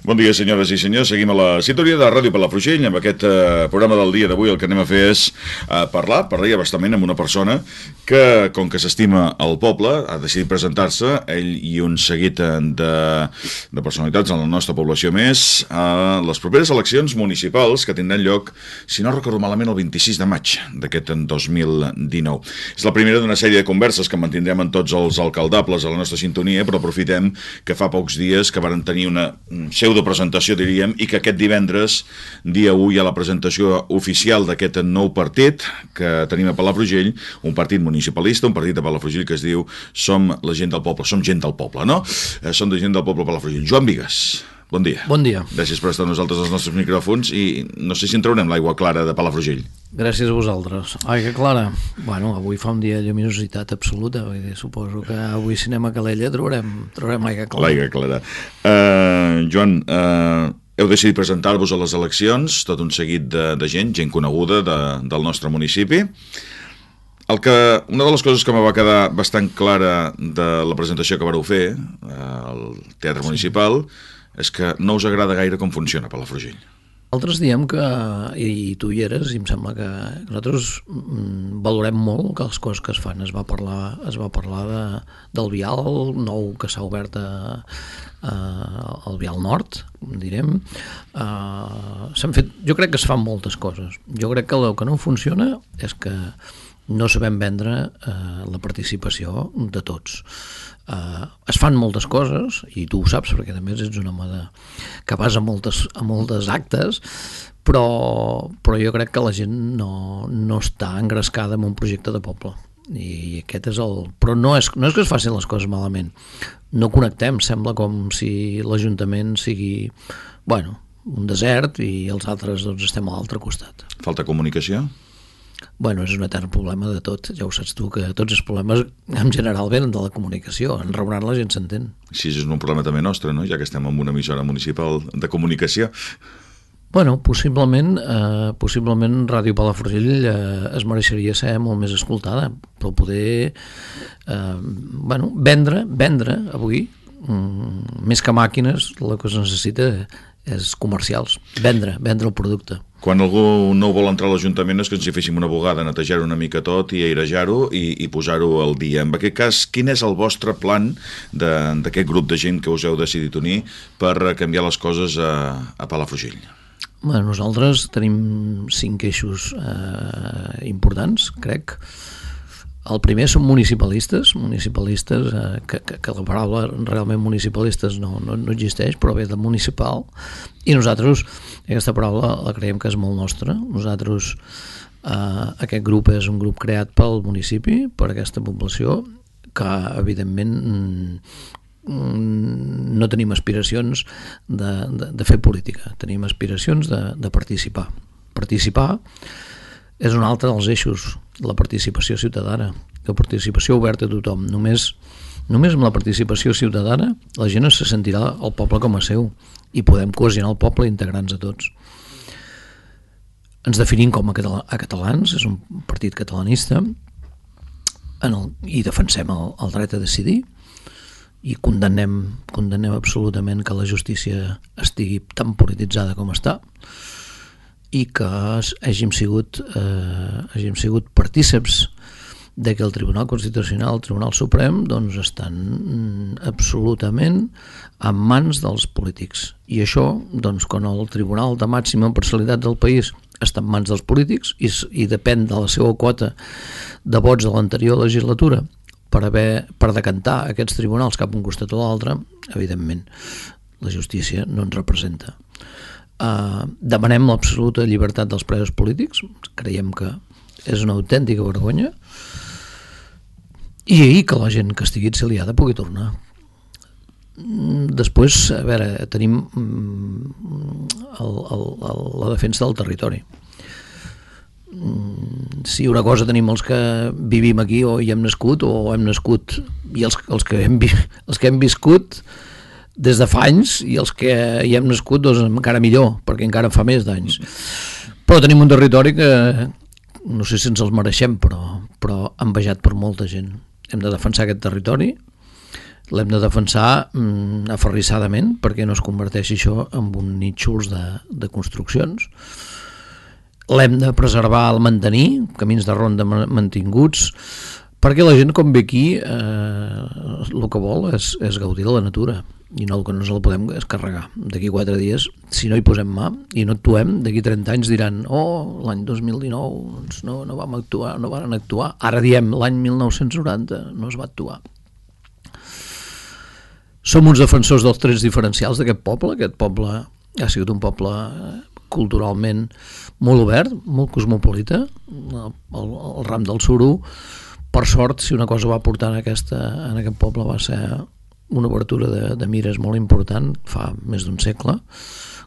Bon dia, senyores i senyors. Seguim a la sintonia de Ràdio Palafrugell. Amb aquest programa del dia d'avui el que anem a fer és parlar bastament amb una persona que, com que s'estima el poble, ha decidit presentar-se, ell i un seguit de personalitats en la nostra població més, a les properes eleccions municipals que tindran lloc, si no recordo malament, el 26 de maig d'aquest 2019. És la primera d'una sèrie de converses que mantindrem amb tots els alcaldables a la nostra sintonia, però aprofitem que fa pocs dies que varen tenir una pseudopresentació, diríem, i que aquest divendres, dia 1, hi ha la presentació oficial d'aquest nou partit que tenim a Palafrugell, un partit municipalista, un partit de Palafrugell que es diu Som la gent del poble, som gent del poble, no? Som de gent del poble Palafrugell. Joan Bigues, bon dia. Bon dia. Gràcies per estar amb nosaltres als nostres micròfons i no sé si en traurem l'aigua clara de Palafrugell. Gràcies a vosaltres. Aigua clara. Bueno, avui fa un dia de lluminositat absoluta. Suposo que avui si anem a Calella trobarem aigua clara. L'aigua clara. Joan, heu decidit presentar-vos a les eleccions, tot un seguit de gent coneguda del nostre municipi. Una de les coses que me va quedar bastant clara de la presentació que vareu fer al Teatre Municipal és que no us agrada gaire com funciona Palafrugell. Altres diem que, i tu hi eres, i em sembla que nosaltres valorem molt que les coses que es fan. Es va parlar del vial nou que s'ha obert al vial nord, direm. Jo crec que es fan moltes coses. Jo crec que el que no funciona és que no sabem vendre la participació de tots. Es fan moltes coses, i tu ho saps perquè també ets un home que vas a moltes actes, però jo crec que la gent no està engrescada en un projecte de poble. I aquest és però no és que es facin les coses malament, no connectem, sembla com si l'Ajuntament sigui un desert i els altres estem a l'altre costat. Falta comunicació? És un etern problema de tot, ja ho saps tu, que tots els problemes en general venen de la comunicació, en Rebrant la gent s'entén. Sí, és un problema també nostre, no? Ja que estem en una emissora municipal de comunicació. Possiblement Ràdio Palafrugell es mereixeria ser molt més escoltada, però poder vendre avui, més que màquines, el que es necessita és comercials, vendre el producte. Quan algú no vol entrar a l'Ajuntament és que ens hi féssim una bugada, netejar-ho una mica tot i airejar-ho i posar-ho al dia. En aquest cas, quin és el vostre plan d'aquest grup de gent que us heu decidit unir per canviar les coses a Palafrugell? Nosaltres tenim 5 eixos importants, crec. El primer són municipalistes, que la paraula realment municipalistes no existeix, però ve de municipal, i nosaltres aquesta paraula la creiem que és molt nostra. Nosaltres, aquest grup és un grup creat pel municipi, per aquesta població, que evidentment no tenim aspiracions de fer política, tenim aspiracions de participar. Participar és un altre dels eixos, la participació ciutadana, la participació oberta a tothom. Només amb la participació ciutadana la gent se sentirà el poble com a seu i podem cohesionar el poble integrant-nos a tots. Ens definim com a catalans, és un partit catalanista i defensem el dret a decidir i condemnem absolutament que la justícia estigui tan polititzada com està i que hàgim sigut partíceps de que el Tribunal Constitucional, el Tribunal Suprem, estan absolutament en mans dels polítics. I això, quan el Tribunal de màxima parcialitat del país està en mans dels polítics i depèn de la seva quota de vots de l'anterior legislatura per decantar aquests tribunals cap a un costat o l'altre, evidentment, la justícia no ens representa. Demanem l'absoluta llibertat dels presos polítics, creiem que és una autèntica vergonya, i que la gent que estigui exiliada pugui tornar. Després, a veure, tenim la defensa del territori. Si una cosa tenim els que vivim aquí o hi hem nascut i els que hem viscut des de fa anys, i els que hi hem nascut encara millor, perquè encara fa més d'anys. Però tenim un territori que no sé si ens els mereixem, però envejat per molta gent. Hem de defensar aquest territori, l'hem de defensar aferrissadament perquè no es converteixi això en un nínxols de construccions. L'hem de preservar, el mantenir, camins de ronda mantinguts, perquè la gent quan ve aquí el que vol és gaudir de la natura i no que no ens la podem descarregar. D'aquí 4 dies, si no hi posem mà i no actuem, d'aquí 30 anys diran l'any 2019 doncs no vam actuar, no van actuar. Ara diem l'any 1990 no es va actuar. Som uns defensors dels trets diferencials d'aquest poble. Aquest poble ha sigut un poble culturalment molt obert, molt cosmopolita. El ram del suro, per sort, si una cosa va portar en aquest poble va ser una obertura de mires molt important fa més d'un segle.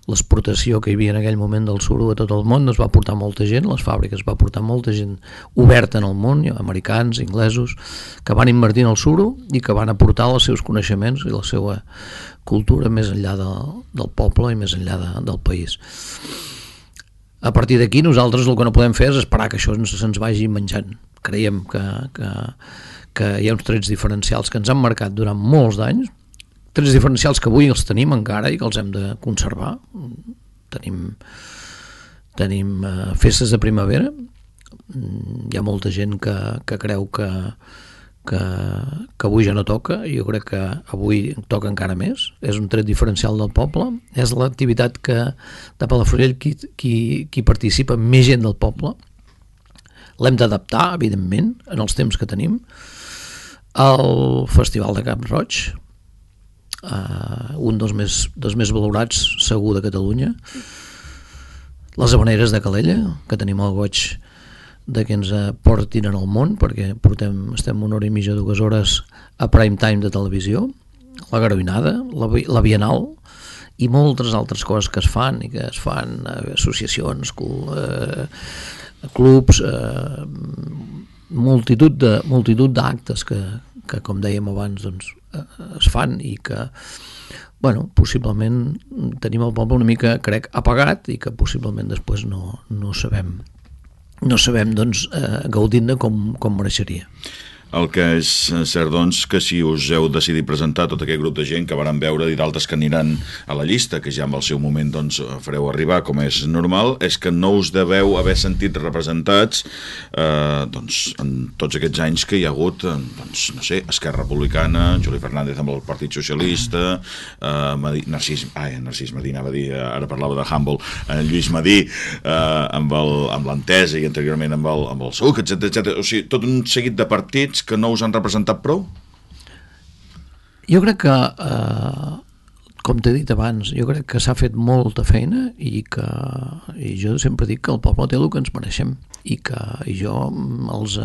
L'exportació que hi havia en aquell moment del suro a tot el món es va portar molta gent, les fàbriques va portar molta gent oberta en el món, americans, inglesos, que van invertir en el suro i que van aportar els seus coneixements i la seva cultura més enllà del poble i més enllà del país. A partir d'aquí nosaltres el que no podem fer és esperar que això se'ns vagi menjant. Creiem que hi ha uns trets diferencials que ens han marcat durant molts d'anys, trets diferencials que avui els tenim encara i que els hem de conservar. Tenim festes de primavera, hi ha molta gent que creu que avui ja no toca, i jo crec que avui toca encara més. És un tret diferencial del poble, és l'activitat que de Palafrugell qui participa més gent del poble. L'hem d'adaptar, evidentment, en els temps que tenim. El Festival de Cap Roig, un dels més valorats segur de Catalunya. Les Havaneres de Calella, que tenim el goig de que ens portin en el món, perquè estem 1 hora i mitja, 2 hores a prime time de televisió. La Garoinada, la Bienal i moltes altres coses que es fan associacions, clubs, multitud d'actes que com dèiem abans, doncs, es fan i que, possiblement tenim el poble una mica, crec, apagat i que possiblement després no sabem doncs, gaudir-ne com mereixeria. El que és cert, doncs, que si us heu decidit presentar tot aquest grup de gent que varen veure i d'altres que aniran a la llista, que ja en el seu moment doncs, fareu arribar, com és normal, és que no us deveu haver sentit representats doncs, en tots aquests anys que hi ha hagut, doncs, no sé, Esquerra Republicana, Juli Fernández amb el Partit Socialista, Narcís Madí, anava a dir, ara parlava de Humble, Lluís Madí, amb l'Entesa i anteriorment amb el SUC, etc. O sigui, tot un seguit de partits que no us han representat prou? Jo crec que, com t'he dit abans, jo crec que s'ha fet molta feina i jo sempre dic que el poble té el que ens mereixem i jo els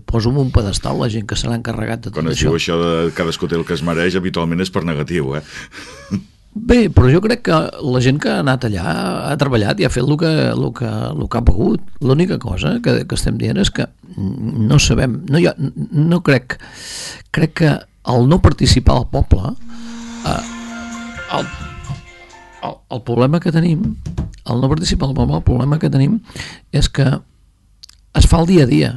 poso en un pedestal la gent que se l'ha encarregat de tot això. Quan això de cadascú té el que es mereix, habitualment és per negatiu, Bé, però jo crec que la gent que ha anat allà ha treballat i ha fet el que ha pogut. L'única cosa que estem dient és que no sabem, crec que el no participar al poble, el problema que tenim, el no participar al poble, el problema que tenim és que es fa el dia a dia,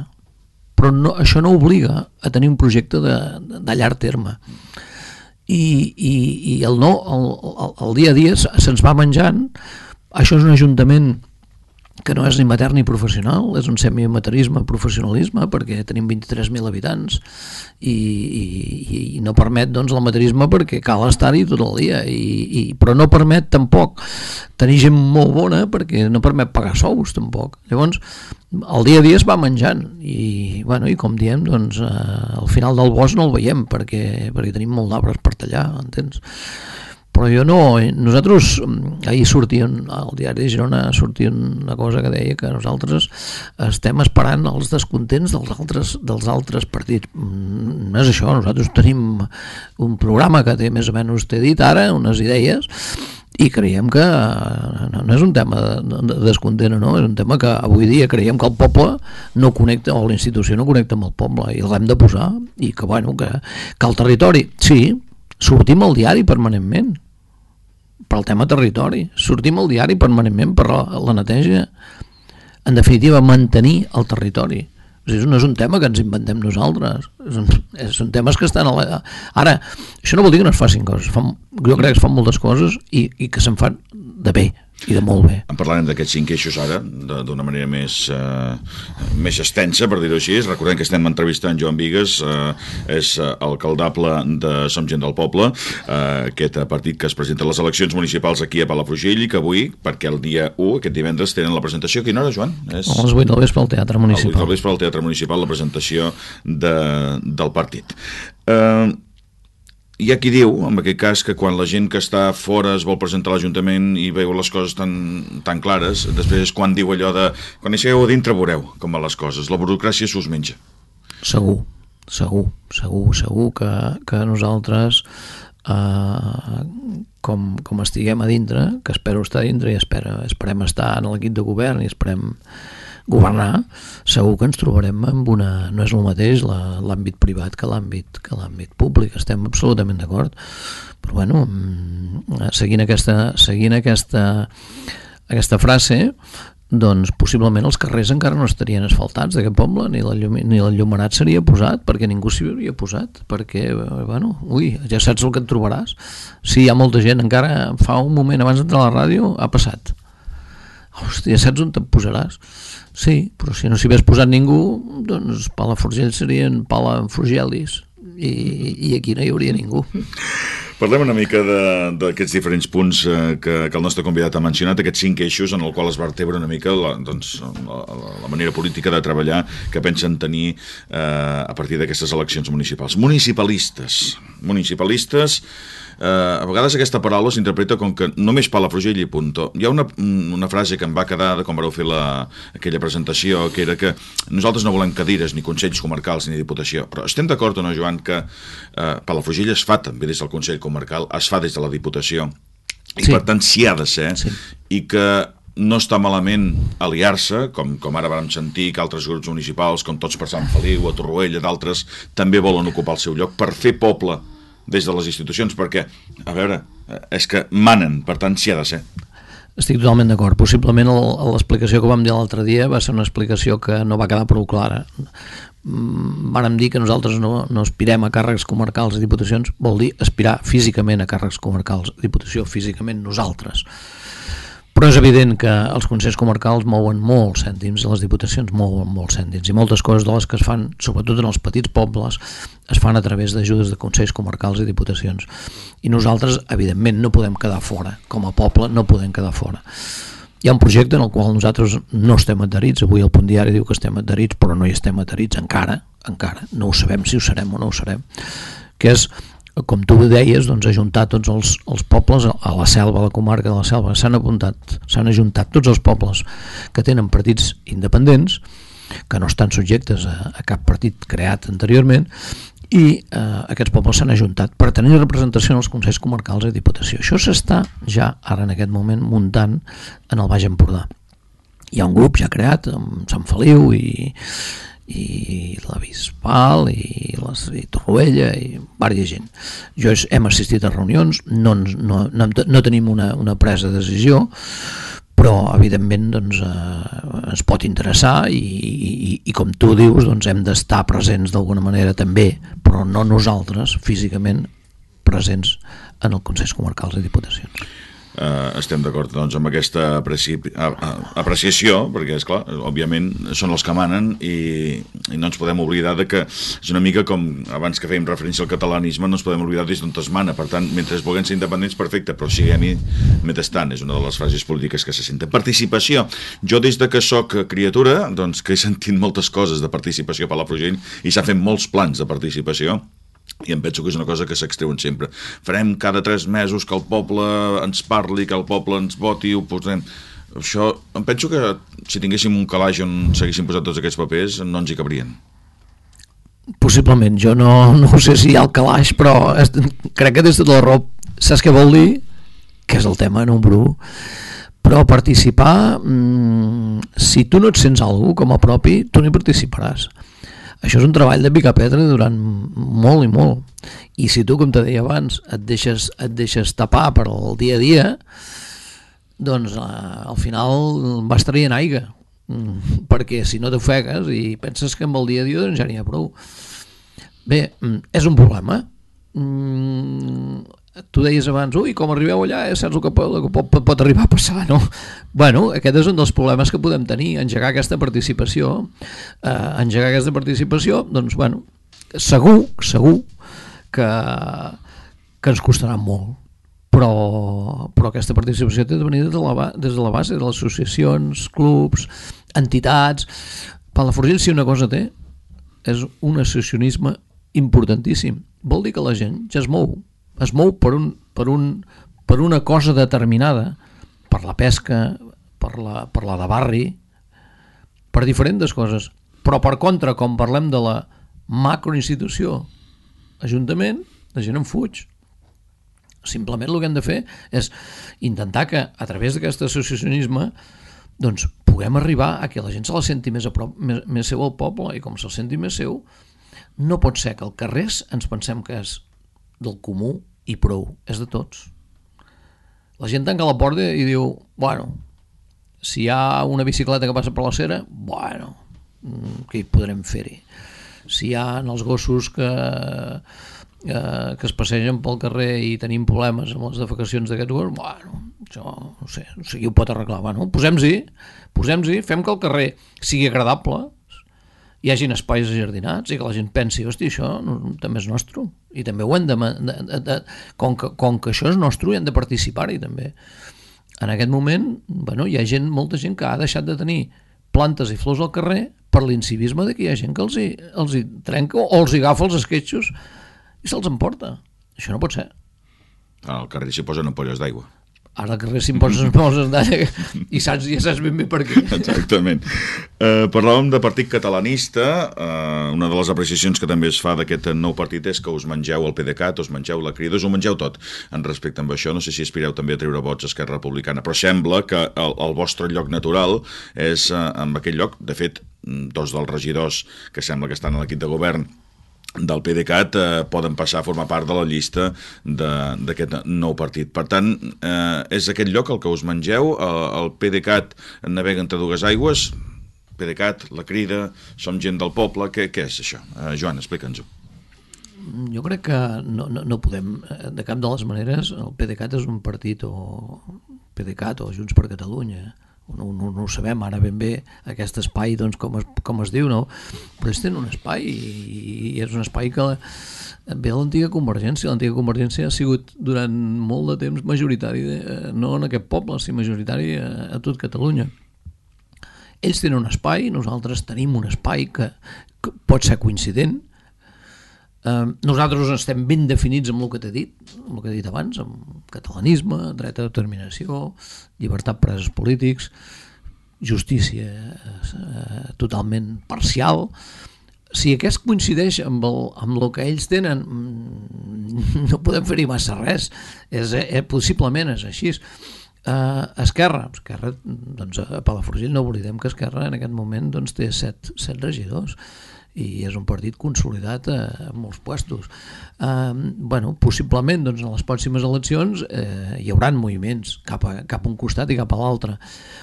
però això no obliga a tenir un projecte de llarg terme. I el dia a dia se'ns va menjant. Això és un ajuntament que no és ni matern ni professional, és un semiamaterisme, professionalisme, perquè tenim 23.000 habitants i no permet doncs l'amaterisme perquè cal estar-hi tot el dia però no permet tampoc tenir gent molt bona perquè no permet pagar sous tampoc. Llavors el dia a dia es va menjant i com diem, doncs al final del bosc no el veiem perquè tenim molt d'arbres per tallar, entens? Però nosaltres, ahir sortia al diari de Girona, sortia una cosa que deia que nosaltres estem esperant els descontents dels altres partits. No és això, nosaltres tenim un programa que té més o menys, t'he dit ara, unes idees, i creiem que no és un tema de descontent o no, és un tema que avui dia creiem que el poble no connecta, o la institució no connecta amb el poble, i l'hem de posar, i que el territori, sí, sortim al diari permanentment per al tema territori, sortim al diari permanentment per la neteja, en definitiva mantenir el territori. O sigui, no és un tema que ens inventem nosaltres, són temes que estan ara, això no vol dir que no es facin coses, jo crec que es fan moltes coses i que se'n fan de bé i de molt bé. En parlarem d'aquests 5 eixos ara d'una manera més extensa, per dir-ho així. Recordem que estem entrevistant Joan Bigues, és alcaldable de Som Gent del Poble, aquest partit que es presenta a les eleccions municipals aquí a Palafrugell i que avui, perquè el dia 1, aquest divendres, tenen la presentació. A quina hora, Joan? A les 8 del vespre al Teatre Municipal. A les 8 del vespre al Teatre Municipal, la presentació del partit. Hi ha qui diu, en aquest cas, que quan la gent que està fora es vol presentar a l'Ajuntament i veu les coses tan clares, després és quan diu allò de quan hi sigueu a dintre veureu com van les coses, la burocràcia s'us menja. Segur que nosaltres com estiguem a dintre, que espero estar a dintre i esperem estar en l'equip de govern i esperem governar, segur que ens trobarem amb no és el mateix l'àmbit privat que l'àmbit públic, estem absolutament d'acord, però bueno, seguint aquesta frase, doncs possiblement els carrers encara no estarien asfaltats d'aquest poble, ni l'enllumenat seria posat, perquè ningú s'hi hauria posat, perquè, bueno, ja saps el que et trobaràs. Sí, hi ha molta gent, encara fa un moment abans d'entrar a la ràdio ha passat. Hòstia, saps on te'n posaràs? Sí, però si no s'hi hagués posat ningú, doncs Palafrugell serien Palafrugelis i aquí no hi hauria ningú. Parlem una mica d'aquests diferents punts que el nostre convidat ha mencionat, aquests 5 eixos en el qual es vertebra una mica la manera política de treballar que pensen tenir a partir d'aquestes eleccions municipals. Municipalistes, a vegades aquesta paraula s'interpreta com que només Palafrugell i punto. Hi ha una frase que em va quedar de quan vareu fer aquella presentació, que era que nosaltres no volem cadires ni consells comarcals ni diputació, però estem d'acord o no, Joan, que Palafrugell es fa també des del Consell Comarcal, es fa des de la Diputació i per tant s'hi ha de ser i que no està malament aliar-se, com ara vam sentir que altres grups municipals, com Tots per Sant Feliu, a Torroella, d'altres, també volen ocupar el seu lloc per fer poble des de les institucions, perquè, a veure, és que manen, per tant s'hi ha de ser. Estic totalment d'acord. Possiblement l'explicació que vam dir l'altre dia va ser una explicació que no va quedar prou clara. Vàrem dir que nosaltres no aspirem a càrrecs comarcals i diputacions, vol dir aspirar físicament a càrrecs comarcals, diputació físicament nosaltres. Però és evident que els consells comarcals mouen molts cèntims, les diputacions mouen molts cèntims, i moltes coses de les que es fan, sobretot en els petits pobles, es fan a través d'ajudes de consells comarcals i diputacions. I nosaltres, evidentment, no podem quedar fora. Com a poble no podem quedar fora. Hi ha un projecte en el qual nosaltres no estem adherits, avui el Punt Diari diu que estem adherits, però no hi estem adherits encara, no ho sabem si ho serem o no ho serem, que és, com tu deies, doncs, ajuntar tots els pobles a la Selva, a la comarca de la Selva. S'han ajuntat tots els pobles que tenen partits independents, que no estan subjectes a cap partit creat anteriorment, i aquests pobles s'han ajuntat per tenir representació en els consells comarcals i diputació. Això s'està ja ara en aquest moment muntant en el Baix Empordà. Hi ha un grup ja creat amb Sant Feliu i la Bisbal i Torroella i diversa gent. Hem assistit a reunions, no tenim una presa de decisió, però evidentment doncs, ens pot interessar i com tu dius doncs, hem d'estar presents d'alguna manera també, però no nosaltres físicament presents en els consells comarcals i diputacions. Estem d'acord doncs, amb aquesta apreciació, perquè esclar, òbviament són els que manen i no ens podem oblidar de que és una mica com abans que fèiem referència al catalanisme, no ens podem oblidar des d'on es mana, per tant, mentre vulguem ser independents, perfecte, però siguem-hi mentrestant, és una de les frases polítiques que se senten. Participació. Jo des de que soc criatura, doncs que he sentit moltes coses de participació a Palafrugell i s'ha fet molts plans de participació, i em penso que és una cosa que s'extreuen sempre. Farem cada 3 mesos que el poble ens parli, que el poble ens voti, ho posem. Això, em penso que si tinguéssim un calaix on s'haguessin posat tots aquests papers no ens hi cabrien. Possiblement, jo no sé si hi ha el calaix, però crec que des de la raó saps què vol dir? Que és el tema número 1. Però participar, si tu no et sents algú com a propi, tu no hi participaràs. Això és un treball de picar pedra durant molt i molt. I si tu, com te deia abans, et deixes tapar per al dia a dia, doncs al final vas traient aigua. Perquè si no t'ofegues i penses que amb el dia a dia doncs ja n'hi ha prou. Bé, és un problema. Tu deies abans, com arribeu allà, saps el que pot arribar a passar, no? Bueno, aquest és un dels problemes que podem tenir, engegar aquesta participació. Doncs, bueno, segur que ens costarà molt, però aquesta participació té de venir des de la base de les associacions, clubs, entitats. Palafrugell, si una cosa té, és un associacionisme importantíssim. Vol dir que la gent ja es mou per una cosa determinada, per la pesca, per la de barri, per diferents coses. Però per contra, com parlem de la macroinstitució, ajuntament, la gent en fuig. Simplement el que hem de fer és intentar que a través d'aquest associacionisme doncs puguem arribar a que la gent se la senti més a prop, més seu al poble, i com se'l senti més seu, no pot ser que el carrer ens pensem que és del comú i prou, és de tots. La gent tanca la porta i diu, bueno, si hi ha una bicicleta que passa per la cera, bueno, què hi podrem fer-hi? Si hi ha els gossos que es passegen pel carrer i tenim problemes amb les defecacions d'aquests gossos, bueno, això no sé qui ho pot arreglar. Bueno, posem-hi, fem que el carrer sigui agradable, hi hagin espais ajardinats i que la gent pensi, hosti, això també és nostre, i també ho hem com que això és nostre, hi hem de participar-hi també. En aquest moment, bueno, hi ha molta gent que ha deixat de tenir plantes i flors al carrer per l'incivisme de que hi ha gent que els hi trenca o els hi agafa els esquetxos i se'ls emporta. Això no pot ser. Al carrer s'hi posen ampolles d'aigua. Ara al carrer s'hi posen ampolles d'aigua i ja saps ben bé per què. Exactament. Parlàvem de partit catalanista. Una de les apreciacions que també es fa d'aquest nou partit és que us mengeu el PDeCAT, us mengeu la Crida, us ho mengeu tot en respecte amb això. No sé si aspireu també a treure vots a Esquerra Republicana, però sembla que el vostre lloc natural és en aquell lloc. De fet, dos dels regidors que sembla que estan a l'equip de govern del PDeCAT poden passar a formar part de la llista d'aquest nou partit. Per tant, és aquest lloc el que us mengeu, el PDeCAT navega entre dues aigües, PDeCAT, la Crida, som gent del poble, què és això? Joan, explica'ns-ho. Jo crec que no podem, de cap de les maneres, el PDeCAT és un partit o PDeCAT o Junts per Catalunya, no ho sabem ara ben bé aquest espai, doncs, com es diu, no? Però ells tenen un espai i és un espai que ve a l'antiga Convergència. L'antiga Convergència ha sigut durant molt de temps majoritari, no en aquest poble, sinó majoritari a tot Catalunya. Ells tenen un espai, nosaltres tenim un espai que pot ser coincident. Nosaltres estem ben definits amb el que t'he dit, amb el que he dit abans, amb catalanisme, dret a determinació, llibertat presos polítics, justícia totalment parcial. Si aquest coincideix amb el que ells tenen, no podem fer-hi massa res. Possiblement és així. Esquerra, doncs a Palafrugell no oblidem que Esquerra en aquest moment doncs, té 7 regidors i és un partit consolidat a molts puestos. Possiblement doncs, en les pròximes eleccions hi haurà moviments cap a un costat i cap a l'altre.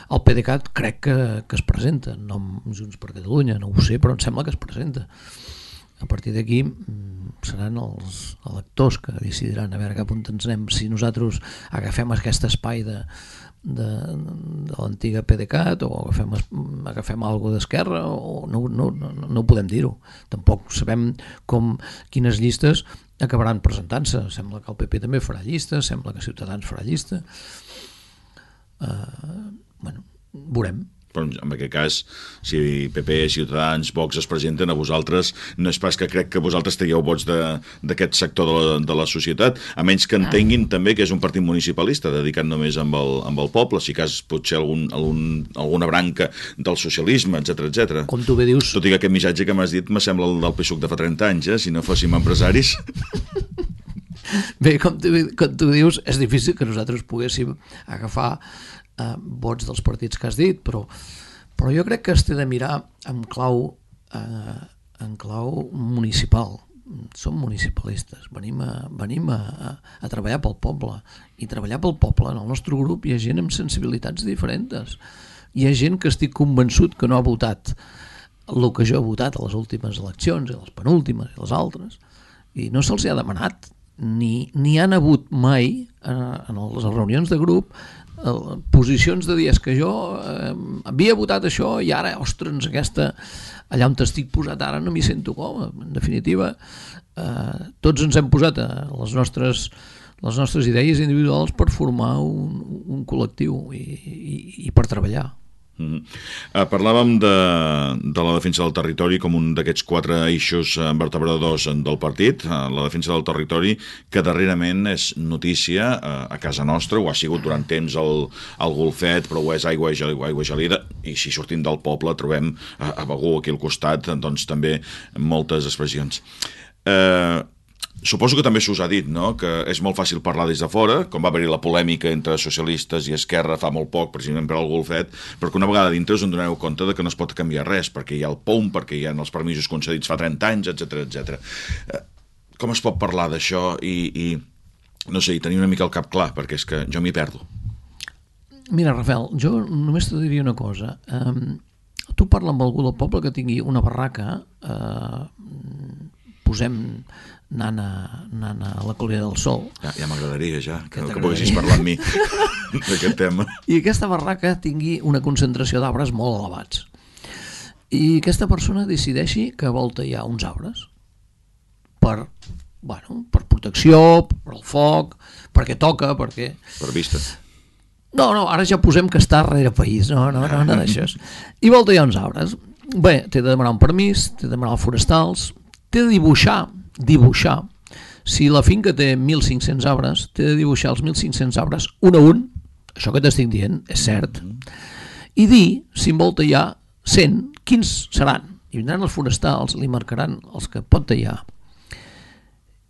El PDeCAT crec que es presenta, no Junts per Catalunya, no ho sé, però em sembla que es presenta. A partir d'aquí seran els electors que decidiran a veure cap on ens anem, si nosaltres agafem aquest espai de l'antiga PDeCAT o agafem alguna d'Esquerra, o no podem dir-ho. Tampoc sabem quines llistes acabaran presentant-se. Sembla que el PP també farà llista, sembla que Ciutadans farà llista. Veurem. Però en aquest cas, si PP, Ciutadans, Vox es presenten, a vosaltres no és pas que crec que vosaltres tragueu vots d'aquest sector de la societat, a menys que entenguin també que és un partit municipalista dedicat només amb el poble, si cas potser alguna branca del socialisme, etc. Com tu bé dius... Tot i que aquest missatge que m'has dit me sembla el del PSUC de fa 30 anys, si no fóssim empresaris. Bé, com tu dius, és difícil que nosaltres poguéssim agafar vots dels partits que has dit, però jo crec que es té de mirar en clau municipal. Som municipalistes, venim a treballar pel poble, i treballar pel poble en el nostre grup hi ha gent amb sensibilitats diferents. Hi ha gent que estic convençut que no ha votat el que jo he votat a les últimes eleccions, i les penúltimes i les altres, i no se'ls ha demanat, ni han hagut mai en les reunions de grup posicions de dir que jo havia votat això i ara, ostres, allà on estic posat ara no m'hi sento com. En definitiva, tots ens hem posat les nostres idees individuals per formar un col·lectiu i per treballar. Parlàvem de la defensa del territori com un d'aquests 4 eixos vertebradors del partit, la defensa del territori, que darrerament és notícia a casa nostra, ho ha sigut durant temps al Golfet, però ho és aigua gelida, i si sortim del poble trobem a Begur, aquí al costat, doncs també moltes expressions. Suposo que també s'us ha dit, no?, que és molt fàcil parlar des de fora, com va haver-hi la polèmica entre socialistes i Esquerra fa molt poc, precisament per al Golfet, però que una vegada dintre us en doneu compte de que no es pot canviar res, perquè hi ha el POUM, perquè hi ha els permisos concedits fa 30 anys, etc. Com es pot parlar d'això i no sé, i tenir una mica el cap clar, perquè és que jo m'hi perdo. Mira, Rafael, jo només te diria una cosa. Tu parla amb algú del poble que tingui una barraca, posem anant a la Colina del Sol. Ja m'agradaria, que poguessis parlar amb mi d'aquest tema. I aquesta barraca tingui una concentració d'arbres molt elevats. I aquesta persona decideixi que vol tallar uns arbres per protecció, per al foc, perquè toca, perquè... Per vista. No, ara ja posem que està darrere país, no d'això. I vol tallar uns arbres. Bé, té de demanar un permís, té de demanar forestals, té de dibuixar, si la finca té 1.500 arbres, té de dibuixar els 1.500 arbres un a un, això que t'estic dient és cert, i dir, si en vol tallar 100, quins seran, i vindran els forestals, li marcaran els que pot tallar,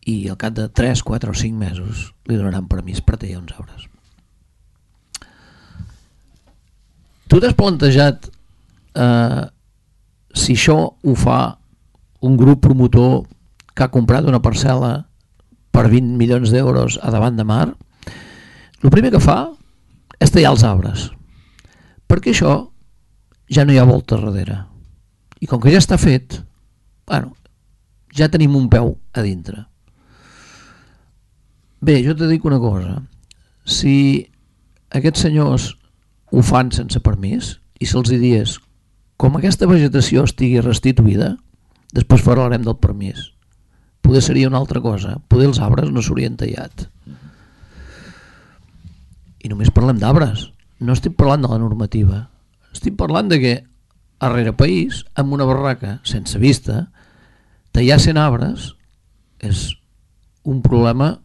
i al cap de 3, 4 o 5 mesos li donaran permís per tallar uns arbres. Tu t'has plantejat si això ho fa un grup promotor que ha comprat una parcel·la per 20 milions d'euros a davant de mar? El primer que fa és tallar els arbres, perquè això ja no hi ha volta darrere. I com que ja està fet, ja tenim un peu a dintre. Bé, jo te dic una cosa. Si aquests senyors ho fan sense permís i se'ls dies com aquesta vegetació estigui restituïda, després parlarem del permís. Poder seria una altra cosa. Poder els arbres no s'haurien tallat. I només parlem d'arbres. No estic parlant de la normativa. Estic parlant de que a rere país, amb una barraca sense vista, tallar 100 arbres és un problema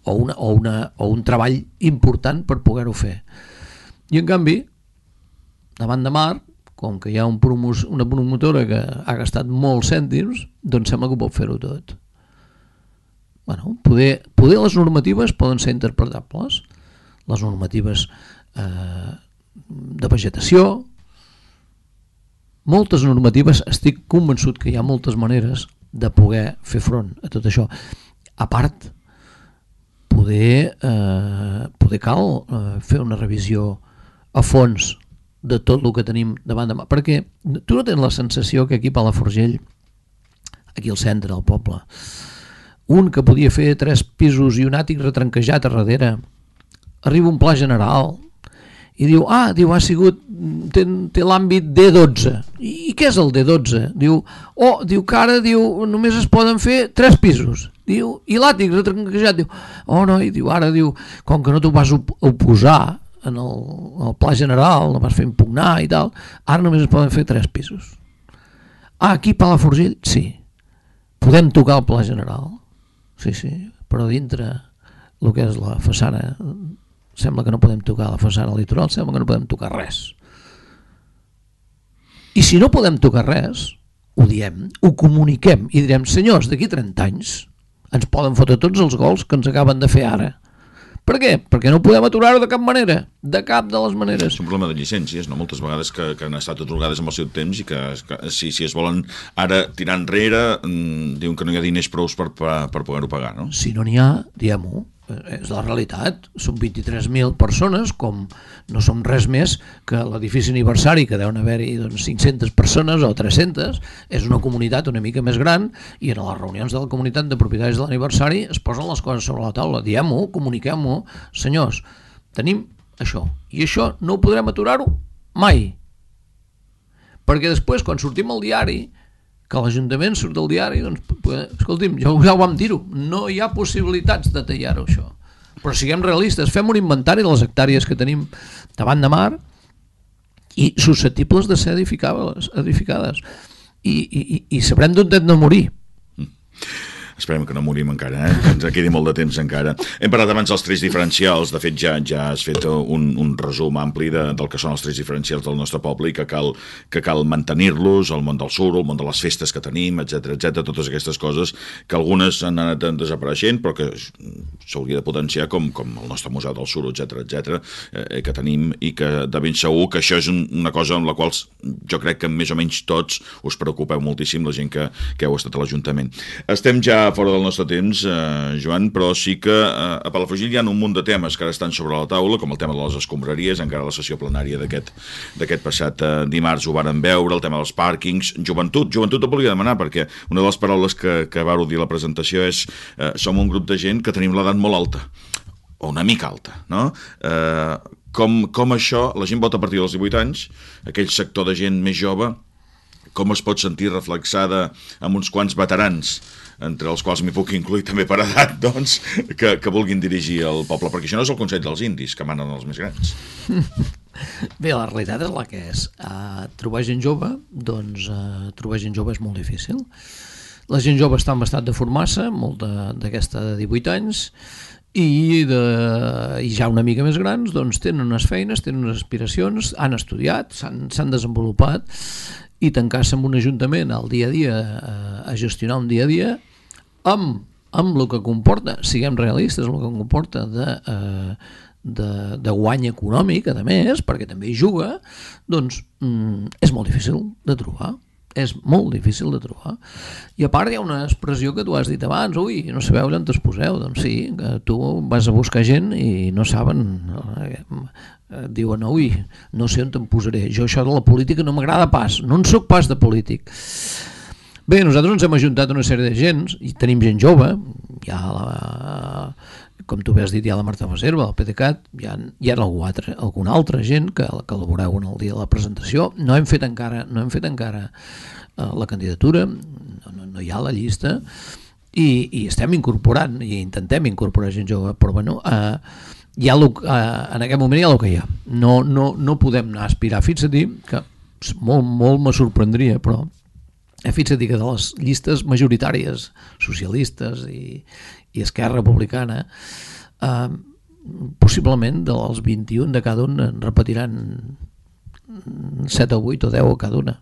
o un treball important per poder-ho fer. I en canvi, davant de mar, com que hi ha una promotora que ha gastat molts cèntims, doncs sembla que ho pot fer-ho tot. Poder les normatives poden ser interpretables, les normatives de vegetació, moltes normatives, estic convençut que hi ha moltes maneres de poder fer front a tot això. A part, poder cal fer una revisió a fons de tot el que tenim davant de mà, perquè tu no tens la sensació que aquí a Palafrugell, aquí al centre del poble, un que podia fer 3 pisos i un àtic retranquejat a darrere, arriba un pla general i diu, ha sigut, té l'àmbit D12. I què és el D12? Diu que ara només es poden fer 3 pisos. Diu, i l'àtic retranquejat, diu, com que no t'ho vas oposar en el pla general, no vas fer impugnar i tal, ara només es poden fer 3 pisos. Aquí a Palafrugell, sí, podem tocar el pla general, sí, però dintre el que és la façana sembla que no podem tocar la façana litoral, sembla que no podem tocar res. I si no podem tocar res, ho diem, ho comuniquem i direm, senyors, d'aquí 30 anys ens poden fotre tots els gols que ens acaben de fer ara. Per què? Perquè no podem aturar-ho de cap manera, de cap de les maneres. És un problema de llicències, no? Moltes vegades que han estat atorgades amb el seu temps i que si es volen ara tirar enrere, diuen que no hi ha diners prous per poder-ho pagar, no? Si no n'hi ha, diguem-ho. és la realitat. Són 23.000 persones, com no som res més que l'edifici aniversari, que deuen haver-hi 500 persones o 300, és una comunitat una mica més gran, i en les reunions de la comunitat de propietaris de l'aniversari es posen les coses sobre la taula, diem-ho, comuniquem-ho, senyors, tenim això, i això no ho podrem aturar-ho mai, perquè després quan sortim al diari, que l'Ajuntament surt del diari, doncs, escolti'm, ja ho vam dir-ho, no hi ha possibilitats de tallar-ho això, però siguem realistes, fem un inventari de les hectàrees que tenim davant de mar i susceptibles de ser edificades i sabrem d'on hem de morir. Esperem que no morim encara, que ens quedi molt de temps encara. Hem parlat abans dels trets diferencials, de fet ja has fet un resum ampli del que són els trets diferencials del nostre poble i que cal mantenir-los, el món del suro, el món de les festes que tenim, etc, totes aquestes coses que algunes han anat desapareixent però que s'hauria de potenciar com el nostre museu del suro, etc, que tenim, i que de ben segur que això és una cosa amb la qual jo crec que més o menys tots us preocupeu moltíssim, la gent que heu estat a l'Ajuntament. Estem ja fora del nostre temps, Joan, però sí que a Palafrugell hi ha un munt de temes que ara estan sobre la taula, com el tema de les escombraries, encara la sessió plenària d'aquest passat dimarts ho varen veure, el tema dels pàrquings, joventut et volia demanar, perquè una de les paraules que vau dir a la presentació és som un grup de gent que tenim l'edat molt alta, o una mica alta, no? Com això, la gent vota a partir dels 18 anys, aquell sector de gent més jove, com es pot sentir reflexada amb uns quants veterans, entre els quals m'hi puc incluir també per edat, doncs, que vulguin dirigir el poble, perquè això no és el Consell dels Indis, que manen els més grans. Bé, la realitat és la que és. Trobar gent jove, doncs, trobar gent jove és molt difícil. La gent jove està en estat de formar-se, molt d'aquesta de 18 anys, i ja una mica més grans, doncs tenen unes feines, tenen unes aspiracions, han estudiat, s'han desenvolupat, i tancar-se en un ajuntament al dia a dia, a gestionar un dia a dia, amb el que comporta, siguem realistes, amb el que comporta de guany econòmic, a més, perquè també hi juga, doncs és molt difícil de trobar. És molt difícil de trobar. I a part hi ha una expressió que tu has dit abans, ui, no sabeu on us poseu. Doncs sí, que tu vas a buscar gent i no saben, diuen, ui, no sé on te'n posaré, jo això de la política no m'agrada pas, no en soc pas de polític. Bé, nosaltres ens hem ajuntat una sèrie de gent i tenim gent jove, hi ha com tu bé has dit, hi ha la Marta Baserva, el PDeCAT, hi ha alguna altra gent que la veureu en el dia de la presentació. No hem fet encara la candidatura, no hi ha la llista, i estem incorporant, i intentem incorporar gent jove, però bueno, en aquest moment hi ha el que hi ha. No podem anar a aspirar. Fins a dir que molt me sorprendria, però fins a dir que de les llistes majoritàries socialistes i Esquerra Republicana, possiblement dels 21 de cada un en repetiran 7 o 8 o 10 a cada una.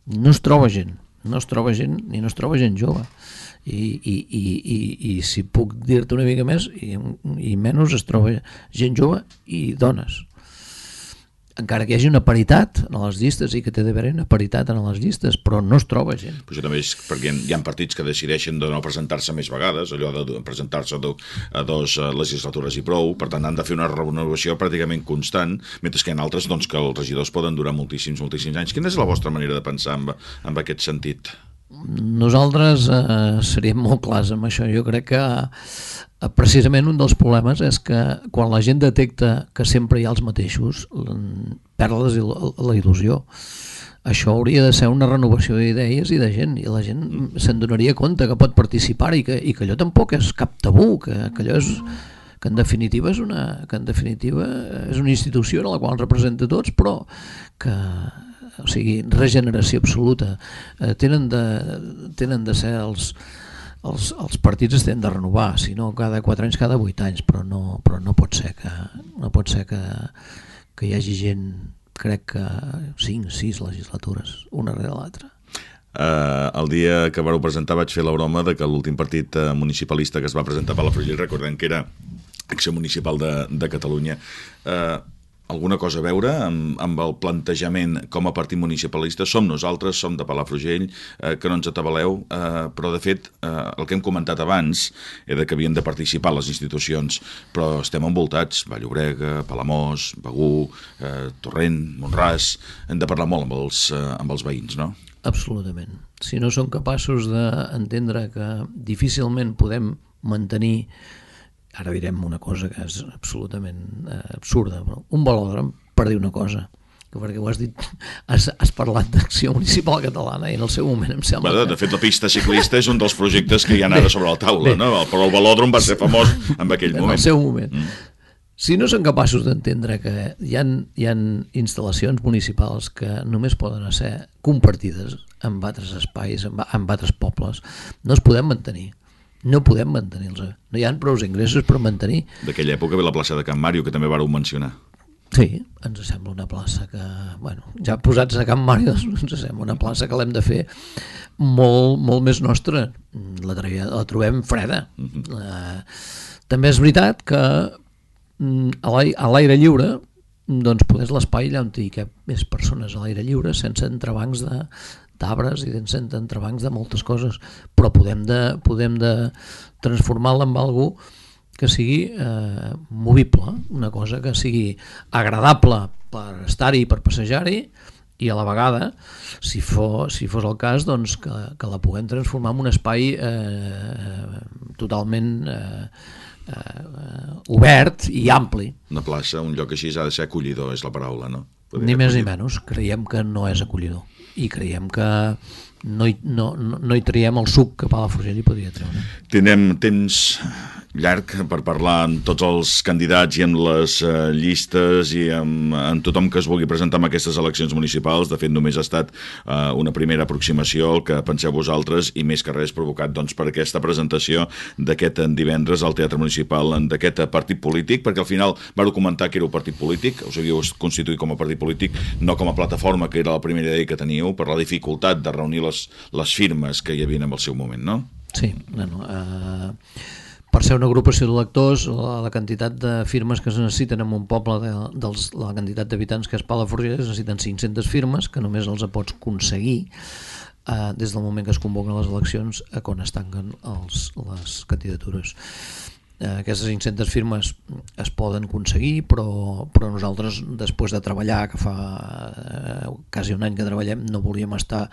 No es troba gent ni no es troba gent jove, i si puc dir-te una mica més i menys, es troba gent jove i dones, encara que hi hagi una paritat en les llistes, i que té d'haver una paritat en les llistes, però no es troba gent. Però això també és perquè hi ha partits que decideixen de no presentar-se més vegades, allò de presentar-se a dos legislatures i prou, per tant han de fer una renovació pràcticament constant, mentre que hi ha altres doncs, que els regidors poden durar moltíssims anys. Quina és la vostra manera de pensar en aquest sentit? Nosaltres seríem molt clars amb això. Jo crec que precisament un dels problemes és que quan la gent detecta que sempre hi ha els mateixos, perd la il·lusió. Això hauria de ser una renovació d'idees i de gent, i la gent se'n donaria compte que pot participar i que allò tampoc és cap tabú, que allò és, que en definitiva és una institució en la qual representa tots, però que, o sigui, regeneració absoluta. Tenen de ser els partits es tenen de renovar, si no cada 4 anys, cada 8 anys, però no pot ser que hi hagi gent, crec que 5, 6 legislatures, una rere l'altra. El dia que vareu presentar vaig fer la broma de que l'últim partit municipalista que es va presentar a Palafrugell, recordem que era Acció Municipal de Catalunya, alguna cosa a veure amb el plantejament com a partit municipalista? Som nosaltres, som de Palafrugell, que no ens atabaleu, però de fet el que hem comentat abans era que havien de participar les institucions, però estem envoltats, Vall-llobrega, Palamós, Begur, Torrent, Mont-ras, hem de parlar molt amb els veïns, no? Absolutament. Si no som capaços d'entendre que difícilment podem mantenir, ara direm una cosa que és absolutament absurda, però un velòdrom, per dir una cosa, que perquè ho has dit, has parlat d'acció municipal catalana i en el seu moment em sembla que... De fet, la pista ciclista és un dels projectes que hi ha ara sobre la taula, no? Però el velòdrom va ser famós en aquell moment. En el seu moment. Si no són capaços d'entendre que hi ha instal·lacions municipals que només poden ser compartides amb altres espais, amb altres pobles, no es podem mantenir. No podem mantenir-los. No hi ha prou ingressos per mantenir. D'aquella època ve la plaça de Can Màrio, que també vareu mencionar. Sí, ens sembla una plaça que, bueno, ja posats a Can Màrio, ens sembla una plaça que l'hem de fer molt, molt més nostra. La trobem freda. També és veritat que a l'aire lliure, doncs poder l'espai allà on hi cap més persones a l'aire lliure, sense entrebancs d'arbres i sense entrebancs de moltes coses, però podem de transformar-la en algú que sigui movible, una cosa que sigui agradable per estar-hi, per passejar-hi, i a la vegada, si fos el cas, doncs que la puguem transformar en un espai totalment obert i ampli. Una plaça, un lloc així ha de ser acollidor, és la paraula, no? Ni més ni menys, creiem que no és acollidor i creiem que no hi traiem el suc que Palafrugell hi podria treure. Tindrem temps llarg per parlar amb tots els candidats i amb les llistes i amb tothom que es vulgui presentar en aquestes eleccions municipals. De fet, només ha estat una primera aproximació al que penseu vosaltres i més que res provocat doncs, per aquesta presentació d'aquest divendres al Teatre Municipal d'aquest partit polític, perquè al final vau comentar que éreu partit polític, us havíeu constituït com a partit polític, no com a plataforma, que era la primera idea que teníeu, per la dificultat de reunir les firmes que hi havia en el seu moment, no? Sí, per ser una agrupació d'electors, la quantitat de firmes que es necessiten en un poble la quantitat d'habitants que és Palafrugell es necessiten 500 firmes, que només els pots aconseguir des del moment que es convoquen les eleccions a quan es tanquen les candidatures. Aquestes 500 firmes es poden aconseguir, però nosaltres, després de treballar, que fa quasi un any que treballem, no volíem estar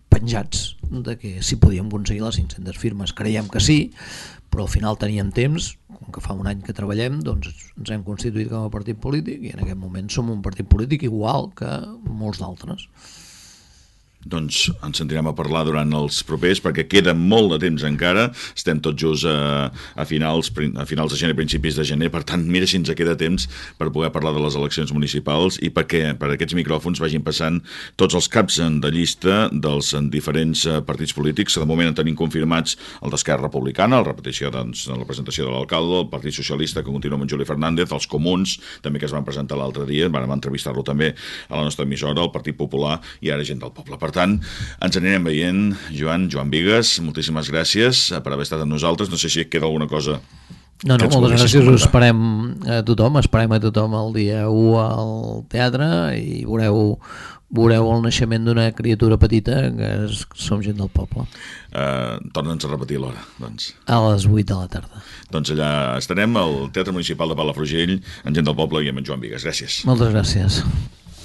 penjats de que si podíem aconseguir les 500 firmes. Creiem que sí, però al final teníem temps, com que fa un any que treballem, doncs ens hem constituït com a partit polític i en aquest moment som un partit polític igual que molts d'altres. Doncs ens sentirem a parlar durant els propers, perquè queda molt de temps encara, estem tots just a finals de gener, principis de gener, per tant, mira si ens queda temps per poder parlar de les eleccions municipals i perquè per aquests micròfons vagin passant tots els caps de llista dels diferents partits polítics. De moment en tenim confirmats el d'Esquerra Republicana, la repetició doncs, de la presentació de l'alcalde, el Partit Socialista, que continua amb en Juli Fernández, els Comuns, també que es van presentar l'altre dia, vam entrevistar-lo també a la nostra emissora, el Partit Popular i ara Gent del Poble. Per tant, ens anirem veient. Joan Vigues, moltíssimes gràcies per haver estat amb nosaltres. No sé si et queda alguna cosa. No, moltes gràcies. Us esperem a tothom el dia 1 al teatre i veureu el naixement d'una criatura petita que som Gent del Poble. Torna'ns a repetir l'hora, doncs. A les 8 de la tarda. Doncs allà estarem al Teatre Municipal de Palafrugell, amb Gent del Poble i amb en Joan Vigues. Gràcies. Moltes gràcies.